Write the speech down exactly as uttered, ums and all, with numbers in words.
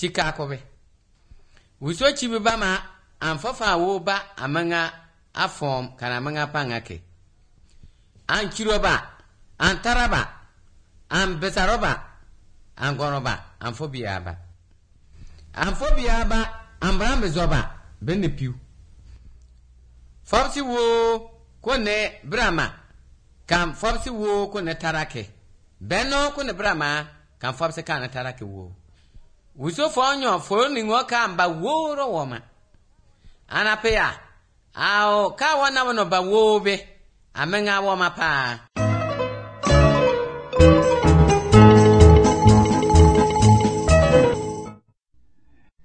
chika kobe wuso chibi ba ma amfafa wo ba amanga afom kana manga pangake an chiroba an taraba an besaroba an goroba an fobiaba an fobiaba an brambe zoba benne piu fopsi wo kone brama kam fopsi wo kone tarake beno kone brama kam fopsi kana tarake wo wuso fonyo foni ngoka mba woro woma anapea ao ka wana wono ba wobe amenga woma pa